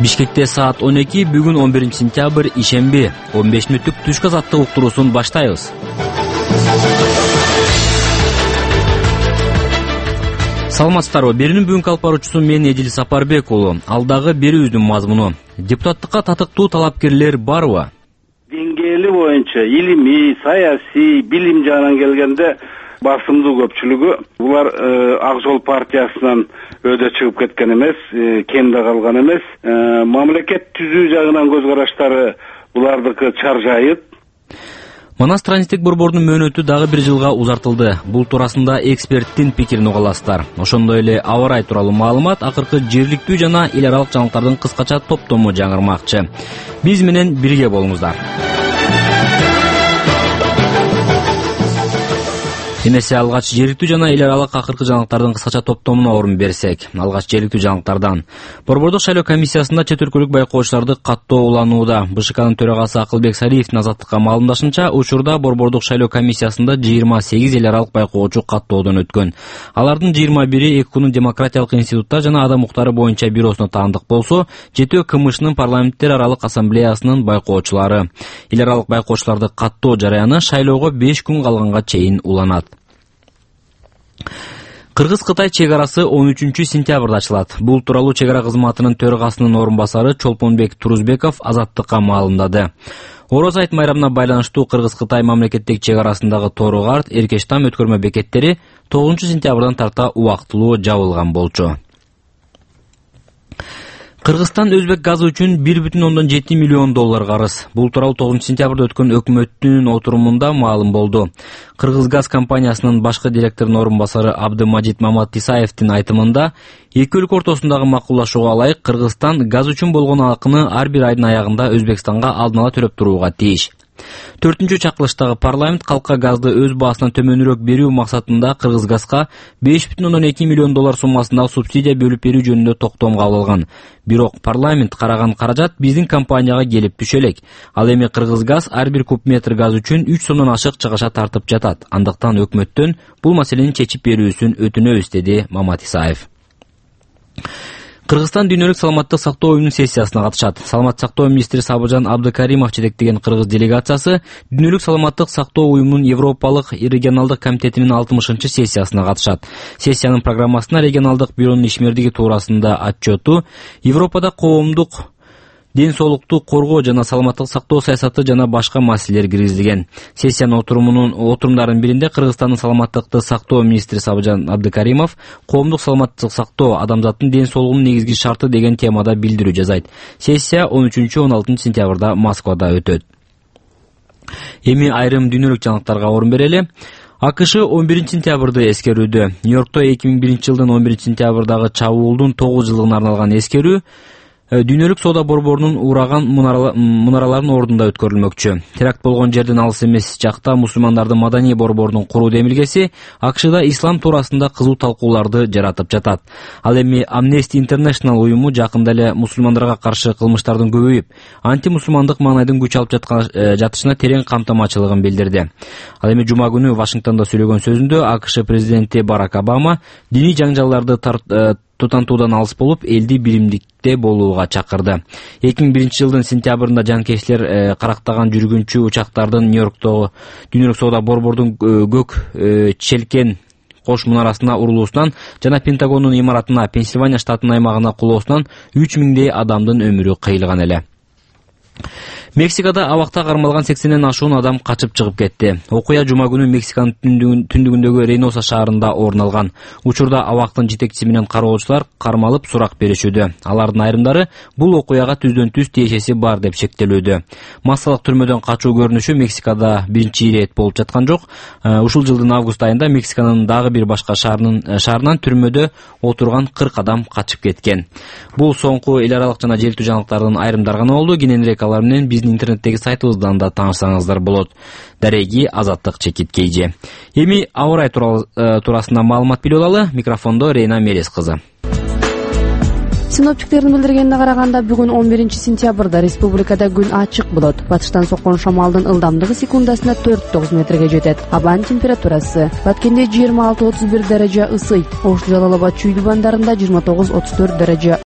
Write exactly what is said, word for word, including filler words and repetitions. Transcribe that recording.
Бишкекте саат он эки, бүгүн он биринчи сентябрь, ишемби. он беш мүнөттүк түшкү азаттык уктуруусун баштайбыз. Саламатсыздарбы? Берүүнүн бүгүнкү алып баруучусу мен Эдил Сапарбек уулу. Алдагы берүүбүздүн мазмуну: депутаттыкка татыктуу талапкерлер барбы? Деңгээли боюнча илимий, саясий, билим жагынан келгенде басымдуу көпчүлүгү булар Ак Жол партиясынан өйдө чыгып кеткен эмес, кемде калган эмес. Мамлекет түзүү жагынан көз караштары булардыкы чаржайыт. Манас транзиттик борбордун мөөнөтү дагы бир жылга узартылды. Бул туурасында эксперттин пикирин уга аласыздар. Ошондой эле аба ырайы тууралуу маалымат акыркы жергиликтүү жана эл аралык жаңылыктардын кыскача топтому жаңырмакчы. Биз менен бирге болуңуздар. Эмесе алгач жергиликтүү жана эл аралык акыркы жаңылыктардын кыскача топтомуна орун берсек, алгач жергиликтүү жаңылыктардан. Борбордук шайлоо комиссиясында чет өлкөлүк байкоочуларды каттоо уланууда. БШКнын төрагасы Акылбек Сариевдин Азаттыкка маалымдашынча, учурда борбордук шайлоо комиссиясында жыйырма сегиз эл аралык байкоочу каттоодон өткөн. Алардын жыйырма бири ЭКУнун демократиялык институттар жана адам укуктары боюнча бюросуна таандык болсо, жетөө КМШнын парламенттер аралык ассамблеясынын байкоочулары. Эл аралык байкоочуларды каттоо жараяны шайлоого беш күн калганга чейин уланат. Кыргыз-Кытай чек арасы он үчүнчү сентябрда ачылат. Бул тууралуу чек ара кызматынын төрагасынын орун басары Чолпонбек Турузбеков Азаттыкка маалымдады. Ороз айт майрамына байланыштуу Кыргыз-Кытай мамлекеттик чек арасындагы Тору-Карт, Эркештам өткөрмө бекеттери тогузунчу сентябрдан тарта убактылуу жабылган болчу. Кыргызстан өзбек газы үчүн бир бүтүн ондон жети миллион доллар карыз. Бул тууралуу тогузунчу сентябрда өткөн өкмөттүн отурумунда маалым болду. Кыргыз газ компаниясынын башкы директорунун орун басары Абдымажит Маматисаевдин айтымында, эки өлкө ортосундагы макулдашууга ылайык Кыргызстан газ үчүн болгон акыны ар бир айдын аягында Өзбекстанга алдын ала төлөп турууга тийиш. Төртүнчү чакырылыштагы парламент калкка газды өз баасынан төмөнүрөөк берүү максатында Кыргызгазга беш бүтүн ондон эки миллион доллар суммасындагы субсидия бөлүп берүү жөнүндө токтом кабыл алган. Бирок парламент караган каражат биздин компанияга келип түшө элек. Ал эми Кыргызгаз ар бир куб метр газ үчүн үч сомдон ашык чыгыша тартып жатат. Андыктан өкмөттөн бул маселени чечип берүүсүн өтүнөбүз, деди Маматисаев. Кыргызстан дүйнөлүк саламаттык сактоо уюмунун сессиясына катышат. Саламаттык сактоо министри Сабыржан Абдыкаримов жетектеген кыргыз делегациясы дүйнөлүк саламаттык сактоо уюмунун Европалык регионалдык комитетинин алтымышынчы сессиясына катышат. Сессиянын программасына регионалдык бюронун ишмердиги туурасында отчету, Европада коомдук ден соолукту коргоо жана саламаттык сактоо саясаты жана башка маселелер киргизилген. Сессиянын отурумунун отурумдарынын биринде Кыргызстандын саламаттыкты сактоо министри Сабыржан Абдыкаримов коомдук саламаттык сактоо адамзаттын ден соолугунун негизги шарты деген темада билдирүү жасайт. Сессия он үчүнчү он алтынчы сентябрда Москвада өтөт. Эми айрым дүйнөлүк жаңылыктарга орун берели. АКШ он биринчи сентябрды эскерүүдө. Нью-Йоркто эки миң биринчи жылдын он биринчи сентябрдагы чабуулдун тогуз жылдыгына арналган эскерүү Дүйнөлүк соода борборунун ураган мунараларынын ордунда өткөрүлмөкчү. Теракт болгон жерден алыс эмес жакта мусулмандардын маданий борборунун куруу демилгеси АКШда ислам туурасында кызуу талкууларды жаратып жатат. Ал эми Amnesty International уюму жакында эле мусулмандарга каршы кылмыштардын көбөйүп, антимусулмандык маанайдын күч алып жатышына терең камтамачылыгын билдирди. Ал эми жума күнү Вашингтондо сүйлөгөн сөзүндө АКШ президенти Барак Обама диний жаңжалдарды тутантуудан алыс болуп, элди биримдикте болууга чакырды. эки миң биринчи жылдын сентябрында жанкечтер карактаган жүргүнчү учактардын Нью-Йорктогу дүйнөлүк соода борбордун көк челкен кош мунарасына урулуусунан жана Пентагондун имаратына Пенсильвания штатынын аймагына кулоосунан үч миңдей адамдын өмүрү кыйылган эле. Мексикада абакта кармалган сексенден ашуун адам качып чыгып кетти. Окуя жума күнү Мексиканын түндүгүндөгү Рейноса шаарында орун алган. Учурда абактын жетекчиси менен кароочулар кармалып сурак беришүүдө. Алардын айрымдары бул окуяга түздөн түз тиешеси бар деп шектелүүдө. Массалык түрмөдөн качуу көрүнүшү Мексикада биринчи ирет болуп жаткан жок. Ушул жылдын август айында Мексиканын дагы бир башка шаарынын шаарынан түрмөдө отурган кырк адам качып кеткен. Бул соңку эл аралык жана желтүү жаңылыктардын айрымдары гана болду. Кененирээк алар менен биздин интернеттеги сайтыбыздан да таанышсаңыздар болот. Дареги Азаттык Чекиткейже. Эми аба ырайы туурасында маалымат билип алалы. Микрофондо Рейна Мерес кызы. Синоптиктердин билдиргенине караганда бүгүн он биринчи сентябрда республикада күн ачык болот. Батыштан соккон шамалдын ылдамдыгы секундасына төрт тогуз метрге жетет. Абанын температурасы Баткенде жыйырма алты отуз бир даража ысый, Ош Жалал Абад чүй дубандарында жыйырма тогуз отуз төрт даража